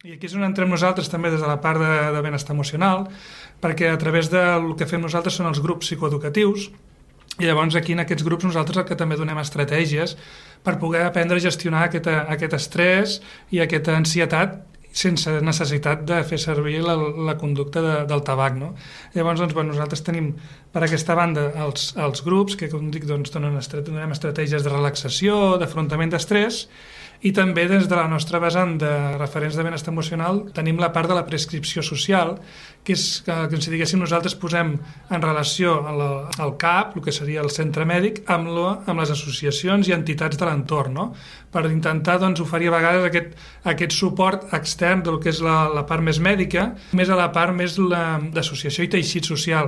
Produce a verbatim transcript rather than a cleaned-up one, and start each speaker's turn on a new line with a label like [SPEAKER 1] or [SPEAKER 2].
[SPEAKER 1] I aquí és on entrem nosaltres també des de la part de, de benestar emocional, perquè a través del que fem nosaltres són els grups psicoeducatius, i llavors aquí en aquests grups nosaltres el que també donem estratègies per poder aprendre a gestionar aquest, aquest estrès i aquesta ansietat sense necessitat de fer servir la, la conducta de, del tabac, no? Llavors, doncs, bueno, nosaltres tenim per aquesta banda els, els grups que, com dic, doncs, donen, donem estratègies de relaxació, d'afrontament d'estrès, i també des de la nostra vessant de referents de benestar emocional tenim la part de la prescripció social, que és que, que si diguéssim nosaltres posem en relació el, el C A P, el que seria el centre mèdic, amb, lo, amb les associacions i entitats de l'entorn, no? Per intentar doncs, oferir a vegades aquest, aquest suport extern del que és la, la part més mèdica, més a la part més la, d'associació i teixit social.